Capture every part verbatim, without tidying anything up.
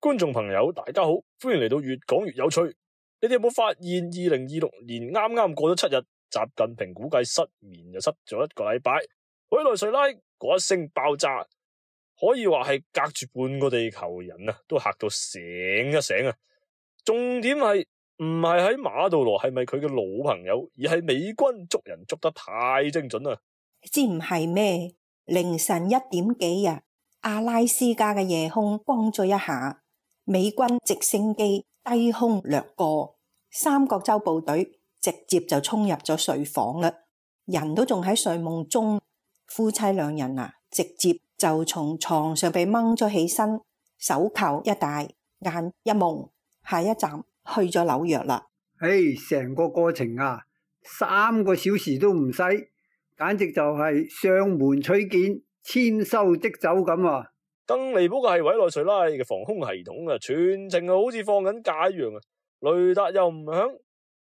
觀眾朋友大家好，歡迎嚟到越講越有趣。你哋有冇發現二零二六年啱啱過咗七日，習近平估計失眠就失咗一個禮拜。委內瑞拉嗰一聲爆炸，可以話係隔住半個地球人啊，都嚇到醒一醒啊！重點係唔係喺馬杜羅係咪佢嘅老朋友，而係美軍捉人捉得太精準啦！知唔係咩？凌晨一點幾啊，阿拉斯加嘅夜空光咗一下，美軍直升機低空掠過，三角洲部隊直接就衝入咗睡房啦，人都仲喺睡夢中，夫妻兩人啊，直接就從床上被掹咗起身，手扣一戴，眼一蒙，下一站去咗紐約啦。唉，成個過程啊，三個小時都唔使，簡直就係上門取件，簽收即走咁啊！更離譜嘅係委內瑞拉嘅防空系統啊，全程好似放緊假一樣啊，雷達又唔響，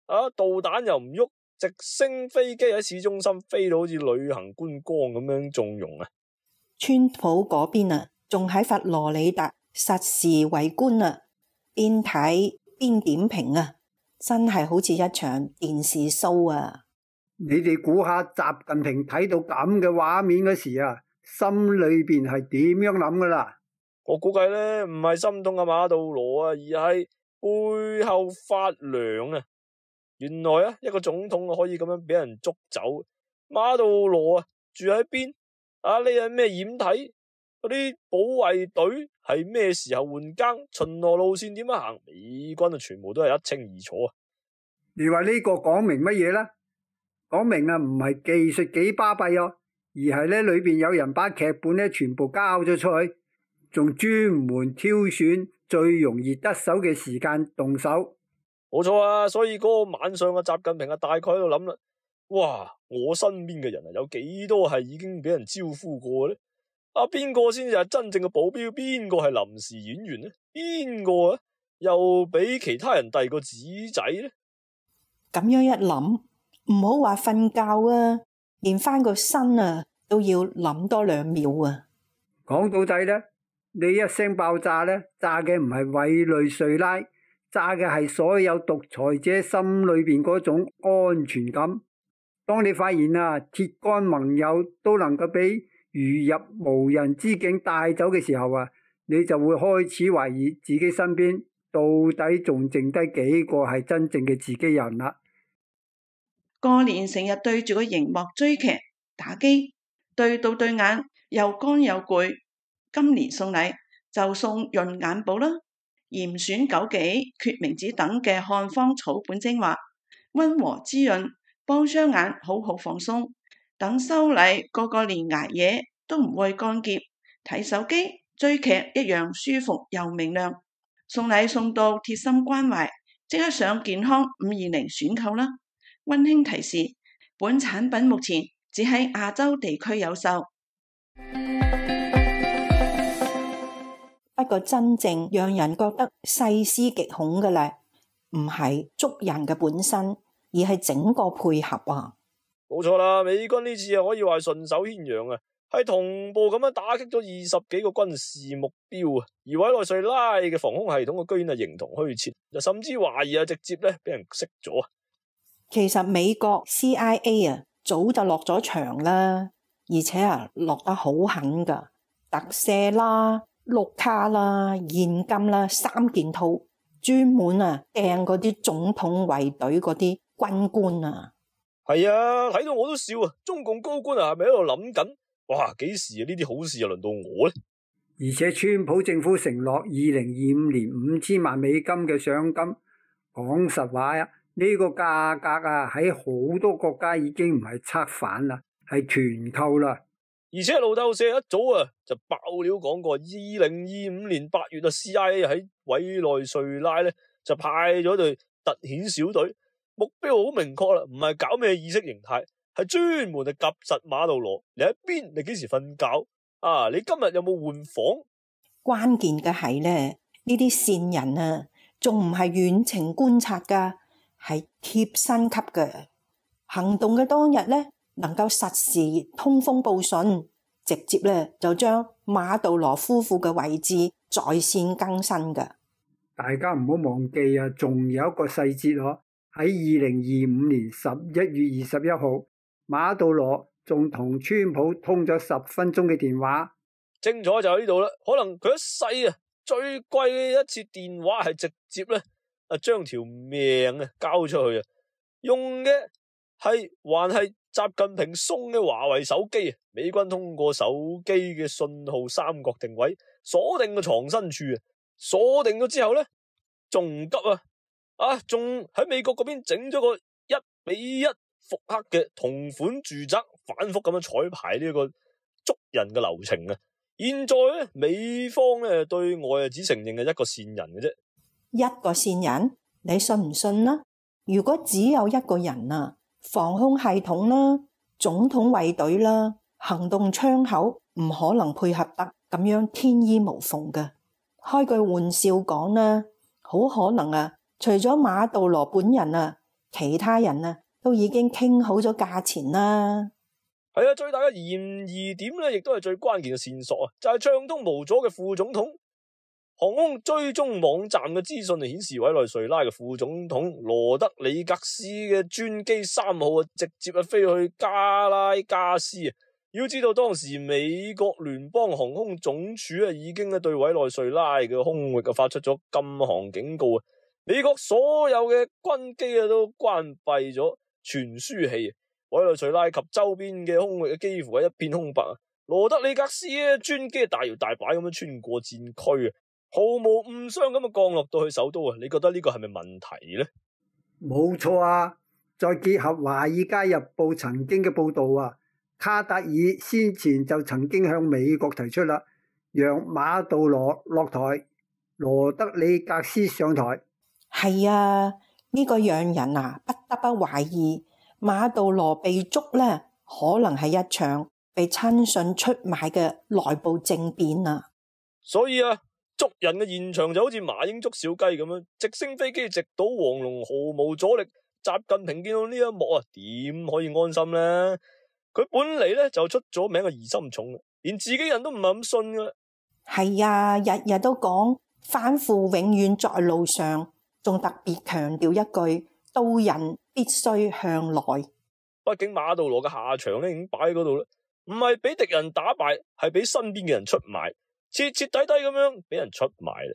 啊導彈又唔喐，直升飛機喺市中心飛到好似旅行觀光咁樣縱容啊！川普嗰邊啊，仲喺佛羅里達實時圍觀啊，邊睇邊點評啊，真係好似一場電視 show 啊！你哋估下習近平睇到咁嘅畫面嗰時啊，心裏邊係點樣諗噶啦？我估計咧唔係心痛嘅馬杜羅啊，而係背後發涼啊！原來啊，一個總統可以咁樣俾人捉走，馬杜羅啊住喺邊啊？你係咩掩體？嗰啲保衛隊係咩時候換更？巡邏路線點樣行？美軍啊，全部都係一清二楚啊！你話呢個講明乜嘢呢？講明啊，唔係技術幾巴閉哦，而係咧裏邊有人把劇本咧全部交咗出去，仲專門挑選最容易得手嘅時間動手。冇錯啊，所以嗰個晚上嘅習近平啊，大概喺度諗啦，哇！我身邊嘅人啊，有幾多係已經俾人招呼過呢？啊，邊個先至係真正嘅保鏢？邊個係臨時演員呢？邊個啊又俾其他人遞個紙仔呢？咁樣一諗，唔好話瞓覺啊，連翻個身啊都要諗多兩秒啊！講到底呢，呢一聲爆炸呢，炸嘅唔係委內瑞拉，炸嘅係所有獨裁者心裏邊嗰種安全感。當你發現啊，鐵桿盟友都能夠俾如入無人之境帶走嘅時候啊，你就會開始懷疑自己身邊到底仲剩低幾個係真正嘅自己人啦。過年成日對住個熒幕追劇打機，對到對眼又乾又攰。今年送禮就送潤眼寶啦，嚴選枸杞、決明子等嘅漢方草本精華，溫和滋潤，幫雙眼好好放鬆。等收禮個個連捱夜都唔會乾澀，睇手機追劇一樣舒服又明亮。送禮送到貼心關懷，即刻上健康五二零選購啦！溫馨提示，本產品目前只喺亞洲地區有售。不過真正讓人覺得細思極恐嘅咧，唔係捉人嘅本身，而係整個配合啊！冇錯啦，美軍呢次啊可以話係順手牽羊啊，係同步咁樣打擊咗二十幾個軍事目標啊，而委內瑞拉嘅防空系統啊居然係形同虛設，甚至懷疑啊直接咧俾人熄咗啊！其實美國 C I A 啊早就落咗場啦，而且啊落得好狠噶，特赦啦、綠卡啦、現金啦三件套，專門啊掟嗰啲總統衛隊嗰啲軍官啊。係啊，睇到我都笑啊！中共高官啊係咪喺度諗緊？哇，幾時啊呢啲好事又輪到我呢？而且川普政府承諾二零二五年五千萬美金嘅賞金，講實話啊，呢個價格啊喺好多國家已經唔係策反啦，係團購啦。而且路透社一早啊就爆料講過，二零二五年八月啊 C I A 喺委內瑞拉咧就派咗隊特遣小隊，目標好明確啦，唔係搞咩意識形態，係專門嚟夾實馬杜羅。你喺邊？你幾時瞓覺？啊！你今日有冇換房？關鍵嘅係咧，呢啲線人啊，仲唔係遠程觀察噶，係貼身級嘅。行動嘅當日咧，能夠實時通風報信，直接咧就將馬杜羅夫婦嘅位置在線更新嘅。大家唔好忘記啊，仲有一個細節嗬，喺二零二五年十一月二十一號，馬杜羅仲同川普通咗十分鐘嘅電話。精彩就喺呢度啦，可能佢一世啊最貴嘅一次電話係直接咧啊將條命啊交出去啊，用嘅係還係習近平送嘅華為手機啊。美軍通過手機嘅信號三角定位鎖定個藏身處啊，鎖定咗之後咧仲急啊啊仲喺美國嗰邊整咗個一比一復刻嘅同款住宅，反覆咁樣彩排呢個捉人嘅流程啊。現在咧，美方咧對外啊只承認係一個線人嘅啫。一個線人，你信唔信啦？如果只有一個人啊，防空系統啦、總統衛隊啦、行動窗口唔可能配合得咁樣天衣無縫嘅。開句玩笑講啦，好可能啊，除咗馬杜羅本人啊，其他人啊都已經傾好咗價錢啦。係啊，最大嘅嫌疑點咧，亦都係最關鍵嘅線索啊，就係暢通無阻嘅副總統航空追蹤網站嘅資訊，顯示委內瑞拉嘅副總統羅德里格斯嘅專機三號啊，直接啊飛去加拉加斯啊。要知道當時美國聯邦航空總署啊，已經咧對委內瑞拉嘅空域啊發出咗禁航警告啊。美國所有嘅軍機啊都關閉咗傳輸器。委內瑞拉及周邊嘅空域幾乎係一片空白啊！羅德里格斯咧專機大搖大擺咁樣穿過戰區啊，毫無誤傷咁啊降落到去首都啊！你覺得呢個係咪問題呢？冇錯啊！再結合《華爾街日報》曾經嘅報道啊，卡達爾先前就曾經向美國提出啦，讓馬杜羅落台，羅德里格斯上台。係啊，呢個讓人啊不得不懷疑。馬杜羅被捉呢，可能係一場被親信出賣嘅內部政變啊！所以啊，捉人嘅現場就好似麻鷹捉小雞咁樣，直升飛機直搗黃龍，毫無阻力。習近平見到呢一幕啊，點可以安心呢？佢本嚟咧就出咗名嘅疑心重，連自己人都唔係咁信噶。係啊，日日都講反腐永遠在路上，仲特別強調一句：刀刃必須向內。畢竟馬杜羅嘅下場咧已經擺喺嗰度啦，唔係俾敵人打敗，係俾身邊嘅人出賣，徹徹底底咁樣俾人出賣啦。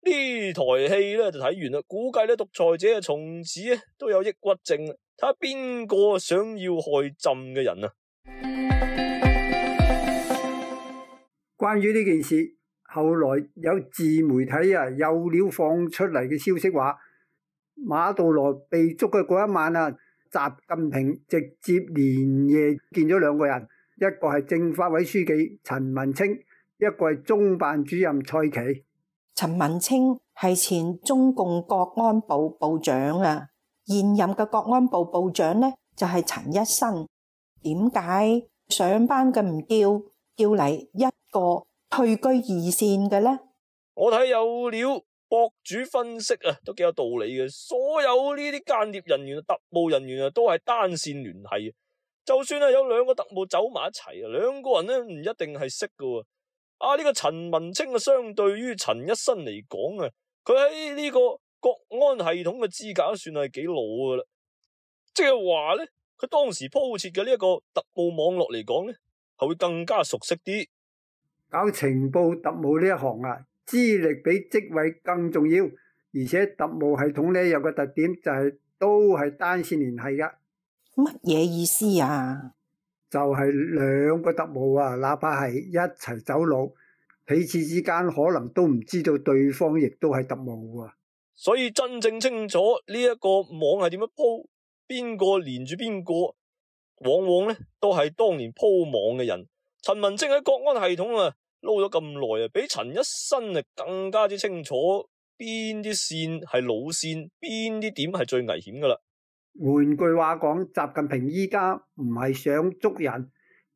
呢台戲咧就睇完啦，估計咧獨裁者啊從此咧都有抑鬱症，睇下邊個想要害朕嘅人啊！關於呢件事，後來有自媒體啊有料放出嚟嘅消息話，馬杜羅被捉嘅嗰一晚啊，習近平直接連夜見咗兩個人，一個係政法委書記陳文清，一個係中辦主任蔡奇。陳文清係前中共國安部部長啊，現任嘅國安部部長呢就係陳一新。點解上班嘅唔叫，叫嚟一個退居二線嘅呢？我睇有料。博主分析啊，都幾有道理嘅。所有呢啲間諜人員、特務人員啊，都係單線聯繫。就算係有兩個特務走埋一齊啊，兩個人咧唔一定係識㗎。啊，呢、這個陳文清啊，相對於陳一新嚟講啊，佢喺呢個國安系統嘅資格算係幾老噶啦。即係話咧，佢當時鋪設嘅呢一個特務網絡嚟講咧，係會更加熟悉啲。搞情報特務呢一行啊，資歷比職位更重要，而且特務系統呢有個特點就係都係單線聯繫噶。乜嘢意思啊？就係兩個特務啊，哪怕係一齊走路，彼此之間可能都唔知道對方亦都係特務啊。所以真正清楚呢一個網係點樣鋪，邊個連住邊個，往往呢都係當年鋪網嘅人。陳文清喺國安系統啊撈咗咁耐啊，比陳一新啊更加之清楚邊啲線係老線，邊啲點係最危險噶啦。換句話講，習近平依家唔係想捉人，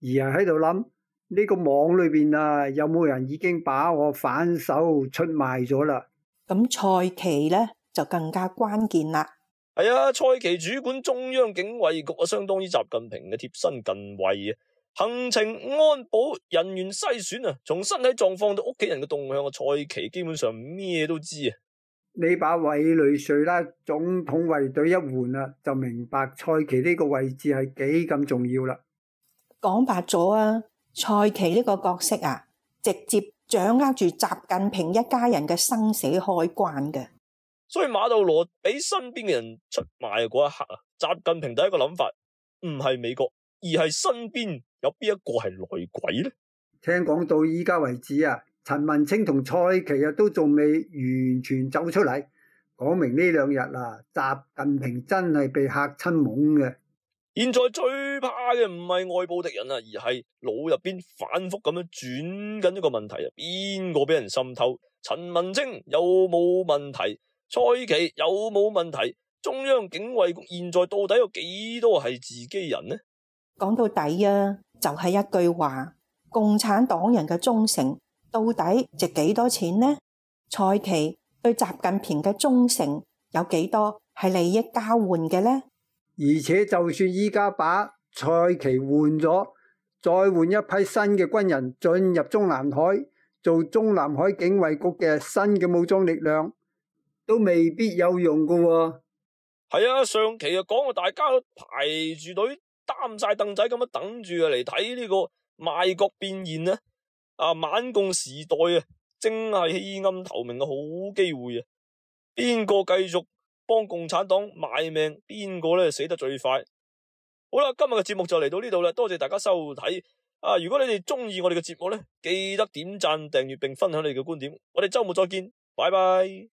而係喺度諗呢個網裏邊啊，有冇人已經把我反手出賣咗啦？咁蔡奇呢就更加關鍵啦。係啊，蔡奇主管中央警衛局啊，相當於習近平嘅貼身近衛啊。行程安保人員篩選啊，從身體狀況到屋企人嘅動向啊，蔡奇基本上咩都知啊。你把委內瑞拉總統衛隊一換啦，就明白蔡奇呢個位置係幾咁重要啦。講白咗啊，蔡奇呢個角色啊，直接掌握住習近平一家人嘅生死開關嘅。所以馬杜羅俾身邊嘅人出賣嗰一刻啊，習近平第一個諗法唔係美國，而係身邊有邊一個係內鬼呢？聽講到依家為止啊，陳文清同蔡奇啊都仲未完全走出嚟，講明呢兩日啊，習近平真係被嚇親懵嘅。現在最怕嘅唔係外部敵人啊，而係腦入邊反覆咁樣轉緊一個問題啊，邊個俾人滲透？陳文清有冇問題？蔡奇有冇問題？中央警衛局現在到底有幾多係自己人呢？講到底啊，就係一句話：共產黨人嘅忠誠到底值幾多錢呢？蔡奇對習近平嘅忠誠有幾多係利益交換嘅呢？而且就算依家把蔡奇換咗，再換一批新嘅軍人進入中南海，做中南海警衛局嘅新嘅武裝力量，都未必有用噶喎。係啊，上期啊講啊，大家都排住隊擔晒凳仔咁樣等住啊嚟睇呢個賣國變現啊！啊，晚共時代啊，正係棄暗投明嘅好機會啊！邊個繼續幫共產黨賣命，邊個咧死得最快？好啦，今日嘅節目就嚟到呢度啦，多謝大家收睇啊！如果你哋中意我哋嘅節目咧，記得點讚、訂閱並分享你哋嘅觀點。我哋周末再見，拜拜。